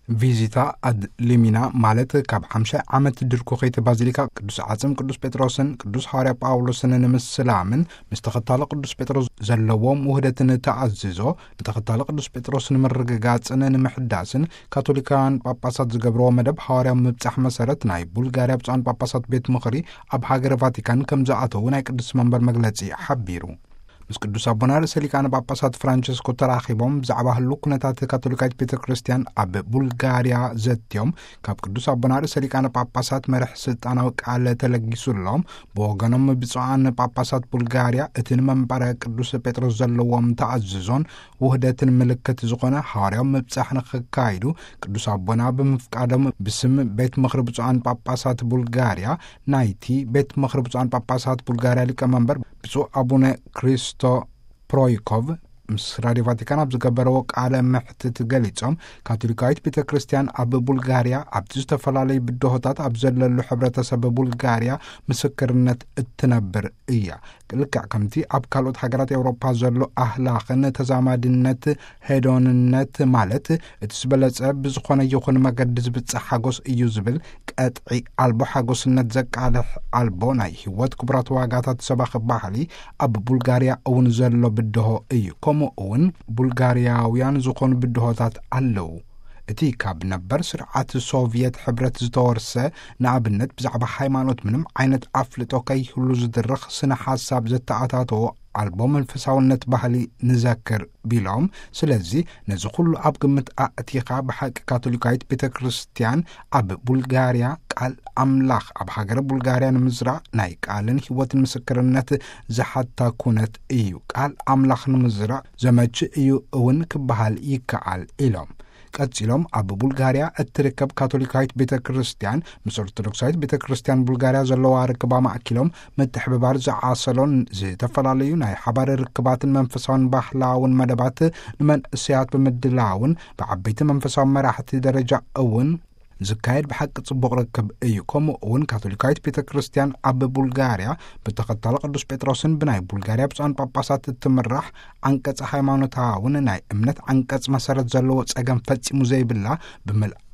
ቪዚታ ኣድ ሊሚና፣ ማለት ካብ ሓምሳ ዓመት ድርኩኺት ባዚሊካ ቅዱስ ዓጽም ቅዱስ ጴጥሮስን ቅዱስ ሃዋርያ ጳውሎስን ንምስላምን ምስ ተኸታሎ ቅዱስ ጴጥሮስ ዘለዎም ውህደትን ተኣዝዞ ንተኸታሎ ቅዱስ ጴጥሮስ ንምርግጋጽን ንምሕዳስን ካቶሊካውያን ጳጳሳት ዝገብርዎ መደብ ሃዋርያዊ ምብጻሕ መሰረት ናይ ቡልጋርያ ብፁዓን ጳጳሳት ቤት ምኽሪ ኣብ ሃገረ ቫቲካን ከም ዝኣተዉ ናይ ቅዱስ መንበር መግለጺ ሓቢሩ። ምስ ቅዱስ ኣቦና ርእሰ ሊቃነ ጳጳሳት ፍራንቸስኮ ተራኺቦም ብዛዕባ ህሉ ኩነታት ካቶሊካዊት ቤተ ክርስቲያን ኣብ ቡልጋርያ ዘትዮም፣ ካብ ቅዱስ ኣቦና ርእሰ ሊቃነ ጳጳሳት መርሕ ስልጣናዊ ቃል ተለጊሱሎም። ብወገኖም ብፁዓን ጳጳሳት ቡልጋርያ እቲ ንመንበረ ቅዱስ ጴጥሮስ ዘለዎም ተኣዝዞን ውህደትን ምልክት ዝኾነ ሃዋርያዊ ምብጻሕ ንኽካይዱ ቅዱስ ኣቦና ብምፍቃዶም ብስም ቤት ምኽሪ ብፁዓን ጳጳሳት ቡልጋርያ ናይቲ ቤት ምኽሪ ብፁዓን ጳጳሳት ቡልጋርያ ሊቀመንበር ብፁዕ ኣቡነ ክሪስቶ ፕሮይኮቭ ምስ ራድዮ ቫቲካን ኣብ ዝገበረዎ ቃለ መሕትት ገሊጾም፣ ካቶሊካዊት ቤተ ክርስቲያን ኣብ ቡልጋርያ ኣብቲ ዝተፈላለዩ ብድሆታት ኣብ ዘለሉ ሕብረተሰብ ቡልጋርያ ምስክርነት እትነብር እያ። ልክዕ ከምቲ ኣብ ካልኦት ሃገራት ኤውሮፓ ዘሎ ኣህላኽን ተዛማድነት ሄዶንነት፣ ማለት እቲ ዝበለጸ ብዝኾነ ይኹን መገዲ ዝብጽሕ ሓጎስ እዩ ዝብል ቀጥዒ ኣልቦ ሓጎስነት ዘቃልሕ ኣልቦ ናይ ህይወት ክቡራት ዋጋታት ሰባኺ ባህሊ ኣብ ቡልጋርያ እውን ዘሎ ብድሆ እዩ። ከምኡ እውን ቡልጋርያውያን ዝኾኑ ብድሆታት ኣለዉ። እቲ ካብ ነበር ስርዓት ሶቭየት ሕብረት ዝተወርሰ፣ ንኣብነት ብዛዕባ ሃይማኖት ምንም ዓይነት ኣፍልጦ ከይህሉ ዝድርኽ ስነ ሓሳብ ዘተኣታተዎ ኣልቦ መንፈሳውነት ባህሊ ንዘክር ቢሎም፣ ስለዚ ነዚ ኩሉ ኣብ ግምት ኣእቲኻ ብሓቂ ካቶሊካዊት ቤተ ክርስቲያን ኣብ ቡልጋርያ ቃል ኣምላኽ ኣብ ሃገረ ቡልጋርያ ንምዝራእ ናይ ቃልን ህይወትን ምስክርነት ዝሓታ ኩነት እዩ። ቃል ኣምላኽ ንምዝራእ ዘመች እዩ እውን ክበሃል ይከኣል ኢሎም። ቀጺሎም ኣብ ቡልጋርያ እትርከብ ካቶሊካዊት ቤተ ክርስቲያን ምስ ኦርቶዶክሳዊት ቤተ ክርስቲያን ቡልጋርያ ዘለዋ ርክባ ማእኪሎም ምትሕብባር ዝዓሰሎን ዝተፈላለዩ ናይ ሓባር ርክባትን መንፈሳውን ባህላውን መደባት ንመንእሰያት ብምድላውን ብዓበይቲ መንፈሳዊ መራሕቲ ደረጃ እውን ዝካየድ ብሓቂ ጽቡቕ ርክብ እዩ። ከምኡ እውን ካቶሊካዊት ቤተ ክርስቲያን ኣብ ቡልጋርያ ብተኸታሎ ቅዱስ ጴጥሮስን ብናይ ቡልጋርያ ብፁዓን ጳጳሳት እትምራሕ ዓንቀጽ ሃይማኖታውን ናይ እምነት ዓንቀጽ መሰረት ዘለዎ ጸገም ፈጺሙ ዘይብላ፣ ብምልኣት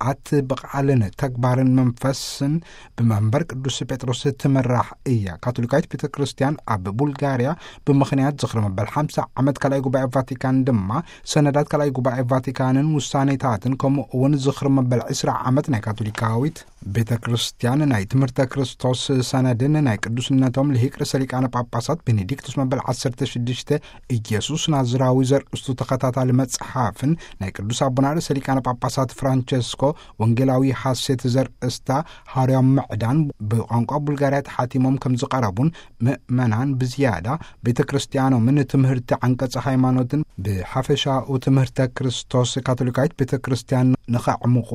ብቓልን ተግባርን መንፈስን ብመንበር ቅዱስ ጴጥሮስ ትምራሕ እያ። ካቶሊካዊት ቤተ ክርስቲያን ኣብ ቡልጋርያ ብምኽንያት ዝኽሪ መበል ሓምሳ ዓመት ካልኣይ ጉባኤ ቫቲካን ድማ ሰነዳት ካልኣይ ጉባኤ ቫቲካንን ውሳኔታትን ከምኡ እውን ዝኽሪ መበል ዕስራ ዓመት ናይ ካቶሊካዊት ቤተ ክርስቲያን ናይ ትምህርተ ክርስቶስ ሰነድን ናይ ቅዱስነቶም ልሂቅ ርእሰ ሊቃነ ጳጳሳት ቤኔዲክቱስ መበል ዓሰርተ ሽዱሽተ ኢየሱስ ናዝራዊ ዘርእስቱ ተኸታታሊ መጽሓፍን ናይ ቅዱስ ኣቦና ርእሰ ሊቃነ ጳጳሳት ፍራንቸስኮ ወንጌላዊ ሐሴት ዘርእስታ ሃዋርያዊ ምዕዳን ብቋንቋ ቡልጋርያ ተሓቲሞም ከም ዝቐረቡን ምእመናን ብዝያዳ ቤተ ክርስቲያኖምን ትምህርቲ ዓንቀጸ ሃይማኖትን ብሓፈሻኡ ትምህርተ ክርስቶስ ካቶሊካዊት ቤተ ክርስቲያን ንኸዕምቑ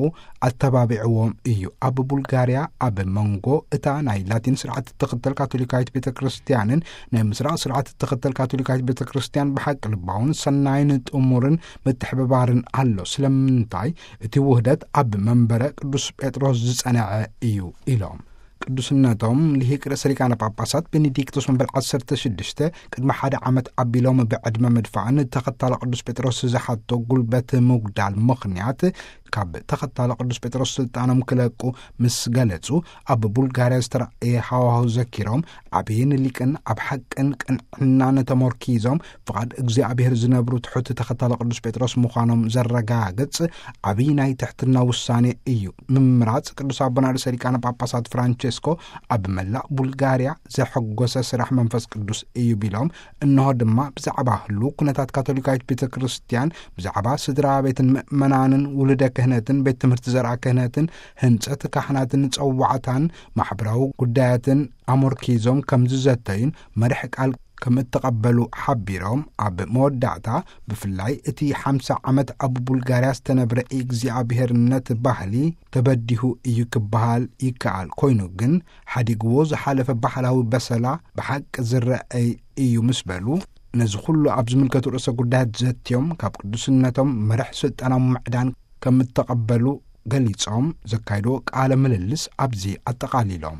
ኣተባቢዕዎም እዩ። ኣብ ቡልጋርያ ኣብ መንጎ እታ ናይ ላቲን ስርዓት እትኽተል ካቶሊካዊት ቤተ ክርስቲያንን ናይ ምስራቕ ስርዓት እትኽተል ካቶሊካዊት ቤተ ክርስቲያን ብሓቂ ልባውን ሰናይን ጥሙርን ምትሕብባርን ኣሎ። ስለምንታይ እቲ ውህደት ኣብ መንበረ ቅዱስ ጴጥሮስ ዝጸንዐ እዩ ኢሎም። ቅዱስነቶም ልሂቅ ርእሰ ሊቃነ ጳጳሳት ቤኔዲክቶስ መበል ዓሰርተ ሽዱሽተ ቅድሚ ሓደ ዓመት ኣቢሎም ብዕድመ ምድፋእን ተኸታሎ ቅዱስ ጴጥሮስ ዝሓቶ ጉልበት ምጉዳል ምኽንያት ካብ ተኸታሎ ቅዱስ ጴጥሮስ ስልጣኖም ክለቁ ምስ ገለጹ፣ ኣብ ቡልጋርያ ዝተራእየ ሃዋሁ ዘኪሮም፣ ዓብይን ሊቅን ኣብ ሓቅን ቅንዕናን ተመርኪዞም ፍቓድ እግዚኣብሔር ዝነብሩ ትሑት ተኸታሎ ቅዱስ ጴጥሮስ ምዃኖም ዘረጋግጽ ዓብይ ናይ ትሕትና ውሳኔ እዩ። ምምራጽ ቅዱስ ኣቦና ርእሰ ሊቃነ ጳጳሳት ፍራንቸስኮ ኣብ መላእ ቡልጋርያ ዘሐጎሰ ስራሕ መንፈስ ቅዱስ እዩ ቢሎም፣ እንሆ ድማ ብዛዕባ ህሉ ኩነታት ካቶሊካዊት ቤተ ክርስቲያን፣ ብዛዕባ ስድራ ቤትን ምእመናንን ውሉደ ክህነትን ቤት ትምህርቲ ዘርኣ ክህነትን ህንጸት ካህናትን ጸዋዕታን ማሕበራዊ ጉዳያትን ኣመርኪዞም ከም ዝዘተዩን መርሕ ቃል ከም እተቐበሉ ሓቢሮም፣ ኣብ መወዳእታ ብፍላይ እቲ ሓምሳ ዓመት ኣብ ቡልጋርያ ዝተነብረ እግዚኣብሔርነት ባህሊ ተበዲሁ እዩ ክበሃል ይከኣል። ኮይኑ ግን ሓዲግዎ ዝሓለፈ ባህላዊ በሰላ ብሓቂ ዝረኣይ እዩ ምስ በሉ፣ ነዚ ኩሉ ኣብ ዝምልከቱ ርእሰ ጉዳያት ዘትዮም ካብ ቅዱስነቶም መርሕ ስልጣናዊ ምዕዳን ከም እተቐበሉ ገሊጾም ዘካይድዎ ቃለ ምልልስ ኣብዚ ኣጠቓሊሎም።